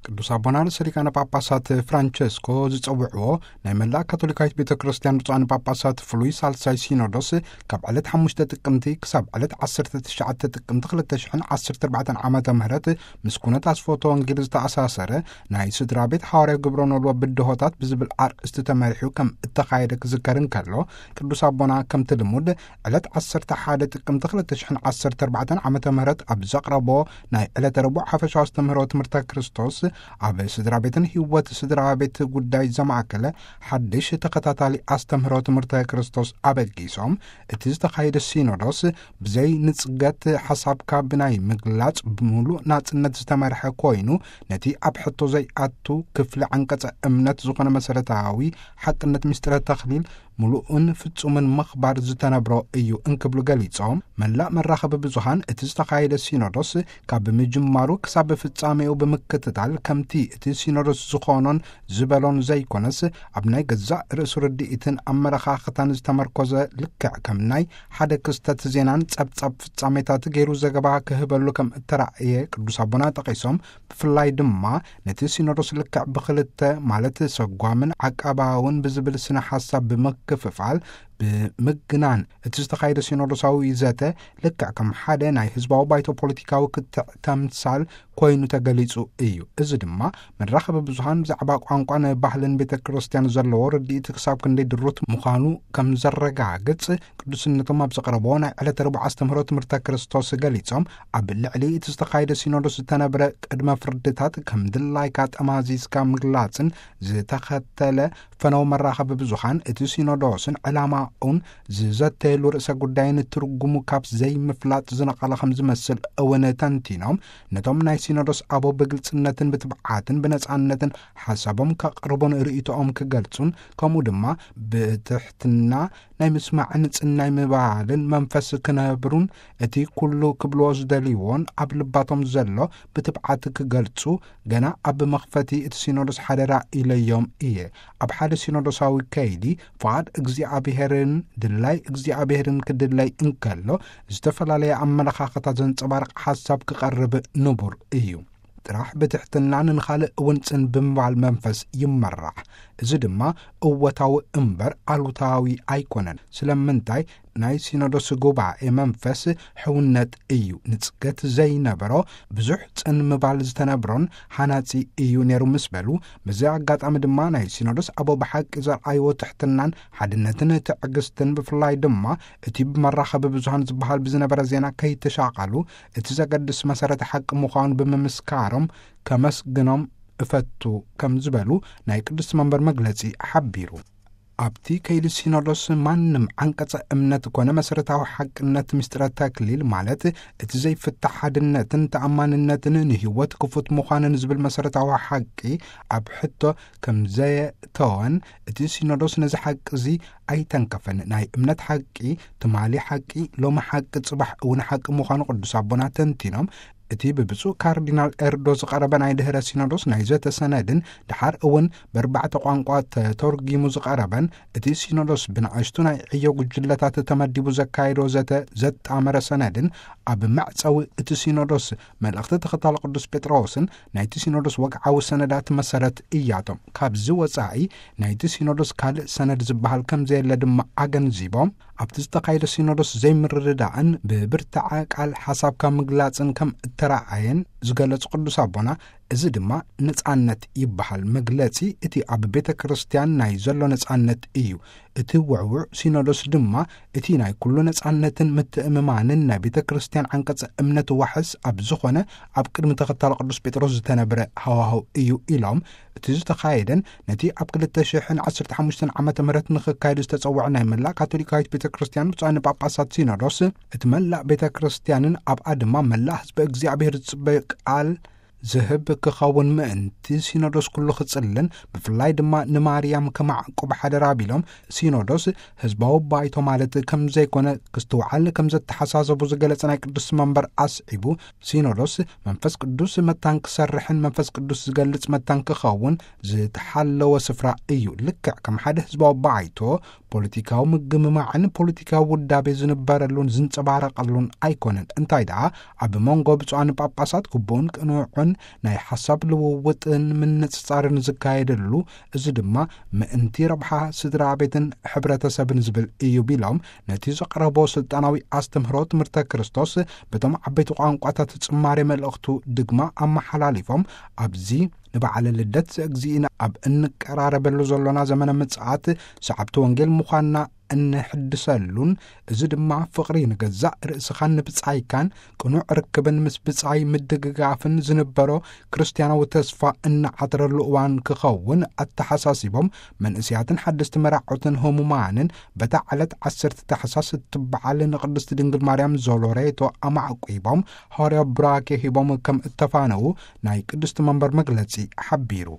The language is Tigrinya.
ቅዱስ ኣቦና ርእሰ ሊቃነ ጳጳሳት ፍራንቸስኮ ዝጸውዕዎ ናይ መላእ ካቶሊካዊት ቤተ ክርስቲያን ብፁዓን ጳጳሳት ፍሉይ ሳልሳይ ሲኖዶስ ካብ ዕለት ሓሙሽተ ጥቅምቲ ክሳብ ዕለት ዓሰርተ ትሽዓተ ጥቅምቲ ክልተ ሽሕን ዓሰርተ ኣርባዕተን ዓመተ ምህረት ምስ ኩነት ኣስፎቶ ወንጌል ዝተኣሳሰረ ናይ ስድራ ቤት ሓዋርያዊ ግብረ ኖልዎ ብድሆታት ብዝብል ኣርእስቲ ተመሪሑ ከም እተኻየደ ክዝከር እንከሎ፣ ቅዱስ ኣቦና ከምቲ ልሙድ ዕለት ዓሰርተ ሓደ ጥቅምቲ ክልተ ሽሕን ዓሰርተ ኣርባዕተን ዓመተ ምህረት ኣብ ዘቕረቦ ናይ ዕለተ ረቡዕ ሓፈሻዊ ኣስተምህሮ ትምህርተ ክርስቶስ ኣብ ስድራ ቤትን ህይወት ስድራ ቤት ጉዳይ ዘማእከለ ሓድሽ ተኸታታሊ ኣስተምህሮ ትምህርተ ክርስቶስ ኣበጊሶም፣ እቲ ዝተኻየደ ሲኖዶስ ብዘይ ንጽገት ሓሳብካ ብናይ ምግላጽ ብምሉእ ናጽነት ዝተመርሐ ኮይኑ፣ ነቲ ኣብ ሕቶ ዘይኣቱ ክፍሊ ዓንቀጸ እምነት ዝኾነ መሰረታዊ ሓቅነት ምስጢረ ተኽሊል ምሉእን ፍጹምን ምኽባር ዝተነብሮ እዩ እንክብሉ ገሊጾም፣ መላእ መራኸቢ ብዙሃን እቲ ዝተኻየደ ሲኖዶስ ካብ ምጅማሩ ክሳብ ፍጻሜኡ ብምክትታል ከምቲ እቲ ሲኖዶስ ዝኾኖን ዝበሎን ዘይኮነስ፣ ኣብ ናይ ገዛእ ርእሱ ርድኢትን ኣመለኻኽታን ዝተመርኮዘ ልክዕ ከም ናይ ሓደ ክስተት ዜናን ጸብጻብ ፍጻሜታት ገይሩ ዘገባ ክህበሉ ከም እተራእየ ቅዱስ ኣቦና ጠቒሶም፣ ብፍላይ ድማ ነቲ ሲኖዶስ ልክዕ ብኽልተ ማለት ሰጓምን ዓቃባውን ብዝብል ስነ ሓሳብ ብምክፍፋል ብምግናን እቲ ዝተኻየደ ሲኖዶሳዊ ዘተ ልክዕ ከም ሓደ ናይ ህዝባዊ ባይቶ ፖለቲካዊ ክትዕ ተምሳል ኮይኑ ተገሊጹ እዩ። እዚ ድማ መራኸቢ ብዙሃን ብዛዕባ ቋንቋን ባህልን ቤተ ክርስቲያን ዘለዎ ርድኢት ክሳብ ክንደይ ድሩት ምዃኑ ከም ዘረጋግጽ ቅዱስነቶም ኣብ ዘቕረብዎ ናይ ዕለተ ረቡዕ ኣስተምህሮ ትምህርተ ክርስቶስ ገሊጾም፣ ኣብ ልዕሊ እቲ ዝተኻየደ ሲኖዶስ ዝተነብረ ቅድመ ፍርድታት ከም ድላይካ ጠማዚዝካ ምግላጽን ዝተኸተለ ፈነው መራኸቢ ብዙሃን እቲ ሲኖዶስን ዕላማኡን ዝዘተየሉ ርእሰ ጉዳይን ትርጉሙ ካብ ዘይምፍላጥ ዝነቐለ ከም ዝመስል እውን ተንቲኖም፣ ነቶም ናይ ሲኖዶስ ኣቦ ብግልጽነትን ብትብዓትን ብነጻነትን ሓሳቦም ከቕርቡን ርእይቶኦም ክገልጹን፣ ከምኡ ድማ ብትሕትና ናይ ምስማዕን ጽናይ ምባልን መንፈስ ክነብሩን፣ እቲ ኩሉ ክብልዎ ዝደልይዎን ኣብ ልባቶም ዘሎ ብትብዓት ክገልጹ ገና ኣብ መኽፈቲ እቲ ሲኖዶስ ሓደራ ኢለዮም እየ። ኣብ ሓደ ሲኖዶሳዊ ከይዲ ፍቓድ እግዚኣብሔርን ድላይ እግዚኣብሔርን ክድለይ እንከሎ፣ ዝተፈላለየ ኣመለኻኽታ ዘንጸባርቕ ሓሳብ ክቐርብ ንቡር እዩ። ጥራሕ ብትሕትና ንኻልእ እውን ጽን ብምባል መንፈስ ይመራሕ። እዚ ድማ እወታዊ እምበር ኣሉታዊ ኣይኮነን። ስለምንታይ? ናይ ሲኖዶስ ጉባኤ መንፈስ ሕውነት እዩ። ንጽገት ዘይነበሮ ብዙሕ ጽን ምባል ዝተነብሮን ሓናጺ እዩ ነይሩ ምስ በሉ፣ በዚ ኣጋጣሚ ድማ ናይ ሲኖዶስ ኣቦ ብሓቂ ዘርኣይዎ ትሕትናን ሓድነትን ትዕግስትን፣ ብፍላይ ድማ እቲ ብመራኸቢ ብዙሃን ዝበሃል ብዝነበረ ዜና ከይተሻቐሉ እቲ ዘገድስ መሰረተ ሓቂ ምዃኑ ብምምስካሮም ከመስግኖም እፈቱ ከም ዝበሉ ናይ ቅድስቲ መንበር መግለጺ ሓቢሩ። ኣብቲ ከይዲ ሲኖዶስ ማንም ዓንቀጸ እምነት ኮነ መሰረታዊ ሓቅነት ምስጢረ ተክሊል ማለት እቲ ዘይፍታሕ ሓድነትን ተኣማንነትን ንህይወት ክፉት ምዃንን ዝብል መሰረታዊ ሓቂ ኣብ ሕቶ ከም ዘየተወን እቲ ሲኖዶስ ነዚ ሓቂ እዚ ኣይተንከፈን። ናይ እምነት ሓቂ ትማሊ ሓቂ ሎሚ ሓቂ ጽባሕ እውን ሓቂ ምዃኑ ቅዱስ ኣቦና ተንቲኖም፣ እቲ ብብፁዕ ካርዲናል ኤርዶ ዝቐረበ ናይ ድህረ ሲኖዶስ ናይ ዘተ ሰነድን ድሓር እውን ብኣርባዕተ ቋንቋ ተተርጊሙ ዝቐረበን እቲ ሲኖዶስ ብንኣሽቱ ናይ ዕዮ ጉጅለታት ተመዲቡ ዘካየዶ ዘተ ዘጣመረ ሰነድን ኣብ መዕጸዊ እቲ ሲኖዶስ መልእኽቲ ተኸታሊ ቅዱስ ጴጥሮስን ናይቲ ሲኖዶስ ወግዓዊ ሰነዳት መሰረት እያቶም። ካብዚ ወጻኢ ናይቲ ሲኖዶስ ካልእ ሰነድ ዝበሃል ከም ዘየለ ድማ ኣገንዚቦም፣ ኣብቲ ዝተኻየደ ሲኖዶስ ዘይምርድዳእን ብብርትዐ ቃል ሓሳብካ ምግላጽን ከም እተረኣየን ዝገለጹ ቅዱስ ኣቦና፣ እዚ ድማ ነጻነት ይበሃል። መግለጺ እቲ ኣብ ቤተ ክርስቲያን ናይ ዘሎ ነጻነት እዩ። እቲ ውዕውዕ ሲኖዶስ ድማ እቲ ናይ ኩሉ ነጻነትን ምትእምማንን ናይ ቤተ ክርስቲያን ዓንቀጸ እምነት ዋሕስ ኣብ ዝኾነ ኣብ ቅድሚ ተኸታሊ ቅዱስ ጴጥሮስ ዝተነብረ ሃዋህው እዩ ኢሎም፣ እቲ ዝተኻየደን ነቲ ኣብ ክልተ ሽሕን ዓሰርተ ሓሙሽተን ዓመተ ምህረት ንኽካየድ ዝተጸውዐ ናይ መላእ ካቶሊካዊት ቤተ ክርስቲያን ብፁዓን ጳጳሳት ሲኖዶስ፣ እቲ መላእ ቤተ ክርስቲያንን ኣብኣ ድማ መላእ ህዝቢ እግዚኣብሔር ዝጽበዩ ቃል ዝህብ ክኸውን ምእንቲ፣ ሲኖዶስ ኩሉ ክጽልን ብፍላይ ድማ ንማርያም ከማዕቁብ ሓደራ ቢሎም፣ ሲኖዶስ ህዝባዊ ባይቶ ማለት ከም ዘይኮነ ክስትውዓል ከም ዘተሓሳሰቡ ዝገለጸ ናይ ቅዱስ መንበር ኣስዒቡ፣ ሲኖዶስ መንፈስ ቅዱስ መታን ክሰርሕን መንፈስ ቅዱስ ዝገልጽ መታን ክኸውን ዝተሓለወ ስፍራ እዩ። ልክዕ ከም ሓደ ህዝባዊ ባይቶ ፖለቲካዊ ምግምማዕን ፖለቲካዊ ውዳቤ ዝንበረሉን ዝንጸባረቐሉን ኣይኮነን። እንታይ ደኣ፣ ኣብ መንጎ ብፁዓን ጳጳሳት ግቡእን ቅኑዕን ናይ ሓሳብ ልውውጥን ምንጽጻርን ዝካየደሉ፣ እዚ ድማ ምእንቲ ረብሓ ስድራ ቤትን ሕብረተሰብን ዝብል እዩ ቢሎም፣ ነቲ ዘቕረቦ ስልጣናዊ ኣስተምህሮ ትምህርተ ክርስቶስ በቶም ዓበይቲ ቋንቋታት ጽማሬ መልእኽቱ ድግማ ኣመሓላሊፎም፣ ኣብዚ ንበዓለ ልደት ዘእግዚእና ኣብ እንቀራረበሉ ዘሎና ዘመነ ምጽኣት ሰዓብቲ ወንጌል ምዃንና እንሕድሰሉን፣ እዚ ድማ ፍቕሪ ንገዛእ ርእስኻን ንብጻይካን ቅኑዕ ርክብን ምስ ብጻይ ምድግጋፍን ዝንበሮ ክርስትያናዊ ተስፋ እንዓትረሉ እዋን ክኸውን ኣተሓሳሲቦም፣ መንእስያትን ሓደስቲ መራዖትን ህሙማንን በታ ዕለት ዓሰርተ ታሕሳስ እትበዓል ንቅድስቲ ድንግል ማርያም ዞሎሬቶ ኣማዕቂቦም፣ ሃዋርያዊ ቡራኬ ሂቦም ከም እተፋነዉ ናይ ቅድስቲ መንበር መግለጺ ሓቢሩ።